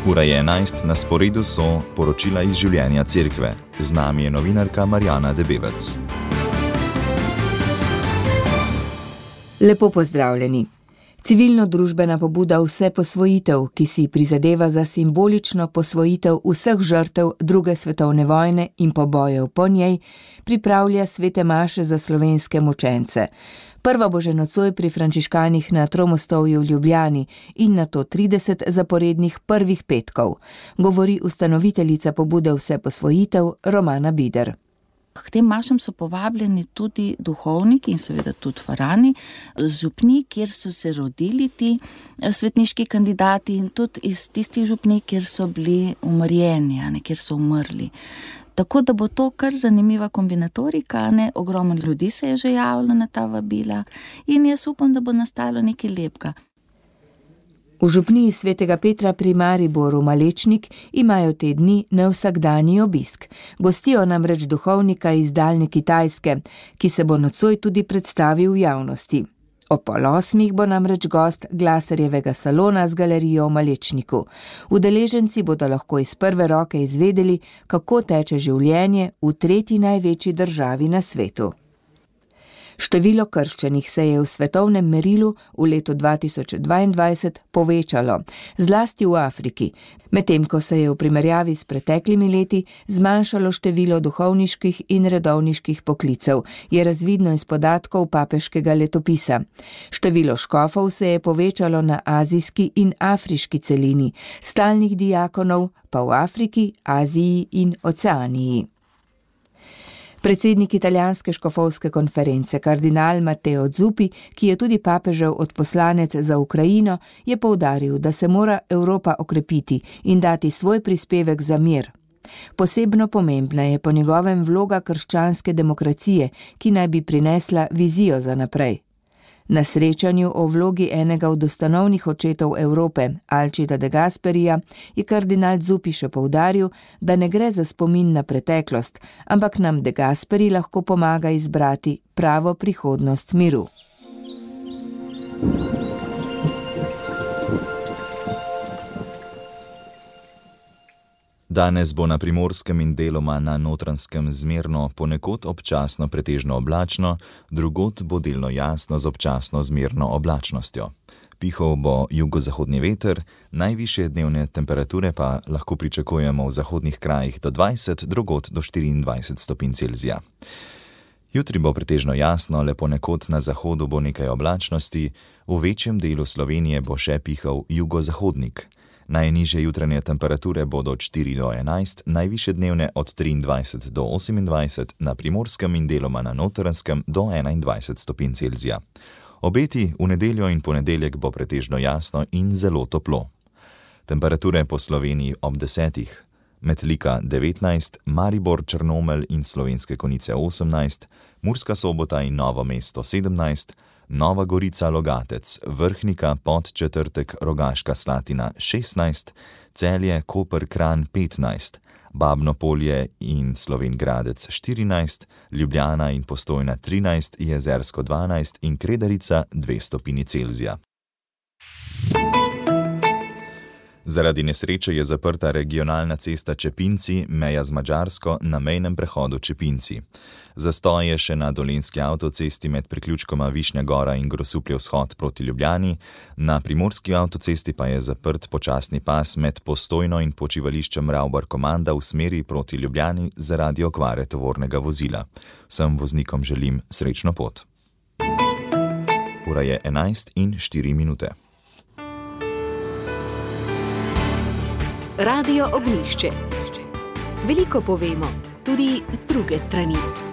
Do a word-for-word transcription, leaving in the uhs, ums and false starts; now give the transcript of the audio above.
Ura je enajst, na sporedu so poročila iz življenja cerkve. Z nami je novinarka Marjana Debevec. Lepo pozdravljeni. Civilno-družbena pobuda Vse posvojitev, ki si prizadeva za simbolično posvojitev vseh žrtev druge svetovne vojne in pobojev po njej, pripravlja svete maše za slovenske mučence. Prva bo že nocoj pri frančiškanih na Tromostovju v Ljubljani in nato trideset zaporednih prvih petkov, govori ustanoviteljica pobude Vse posvojitev Romana Bider. K tem mašam so povabljeni tudi duhovniki in seveda tudi farani, župni, kjer so se rodili ti svetniški kandidati in tudi iz tistih župni, kjer so bili umrjeni, ne, kjer so umrli. Tako da bo to kar zanimiva kombinatorika, ne, ogromno ljudi se je že javilo na ta vabila in jaz upam, da bo nastalo nekaj lepega. V župniji svetega Petra pri Mariboru Malečnik imajo te dni nevsakdanji obisk. Gostijo namreč duhovnika iz daljne Kitajske, ki se bo nocoj tudi predstavil v javnosti. Ob pol osmih bo namreč gost Glasarjevega salona z galerijo v Malečniku. Udeleženci bodo lahko iz prve roke izvedeli, kako teče življenje v tretji največji državi na svetu. Število krščenih se je v svetovnem merilu v letu dva tisoč dvaindvajset povečalo, zlasti v Afriki, medtem ko se je v primerjavi s preteklimi leti zmanjšalo število duhovniških in redovniških poklicev, je razvidno iz podatkov papeškega letopisa. Število škofov se je povečalo na azijski in afriški celini, stalnih diakonov pa v Afriki, Aziji in Oceaniji. Predsednik italijanske škofovske konference, kardinal Matteo Zuppi, ki je tudi papežev odposlanec za Ukrajino, je poudaril, da se mora Evropa okrepiti in dati svoj prispevek za mir. Posebno pomembna je po njegovem vloga krščanske demokracije, ki naj bi prinesla vizijo za naprej. Na srečanju o vlogi enega od ustanovnih očetov Evrope, Alcida de Gasperija, je kardinal Zuppi še poudaril, da ne gre za spomin na preteklost, ampak nam de Gasperi lahko pomaga izbrati pravo prihodnost miru. Danes bo na Primorskem in deloma na Notranjskem zmerno, ponekod občasno pretežno oblačno, drugod bo delno jasno z občasno zmerno oblačnostjo. Pihal bo jugozahodni veter, najvišje dnevne temperature pa lahko pričakujemo v zahodnih krajih do dvajset, drugod do štiriindvajset stopinj Celzija. Jutri bo pretežno jasno, le ponekod na zahodu bo nekaj oblačnosti, v večjem delu Slovenije bo še pihal jugozahodnik. Najnižje jutranje temperature bodo od štiri do enajst, najvišje dnevne od triindvajset do osemindvajset, na Primorskem in deloma na Notranjskem do enaindvajset stopinj Celzija. Obeti v nedeljo in ponedeljek bo pretežno jasno in zelo toplo. Temperature po Sloveniji ob desetih. Metlika devetnajst, Maribor, Črnomelj in Slovenske Konjice osemnajst, Murska Sobota in Novo mesto sedemnajst, Nova Gorica, Logatec, Vrhnika, Podčetrtek, Rogaška Slatina šestnajst, Celje, Koper, Kranj petnajst, Babno Polje in Slovenj Gradec štirinajst, Ljubljana in Postojna trinajst, Jezersko dvanajst in Kredarica dve stopinji Celzija. Zaradi nesreče je zaprta regionalna cesta Čepinci, meja z Madžarsko, na mejnem prehodu Čepinci. Zastoj je še na dolenjski avtocesti med priključkoma Višnja Gora in Grosuplje vzhod proti Ljubljani, na primorski avtocesti pa je zaprt počasni pas med Postojno in počivališčem Ravbar-Komanda v smeri proti Ljubljani zaradi okvare tovornega vozila. Vsem voznikom želim srečno pot. Ura je enajst in štiri minute. Radio Ognjišče. Veliko povemo, tudi z druge strani.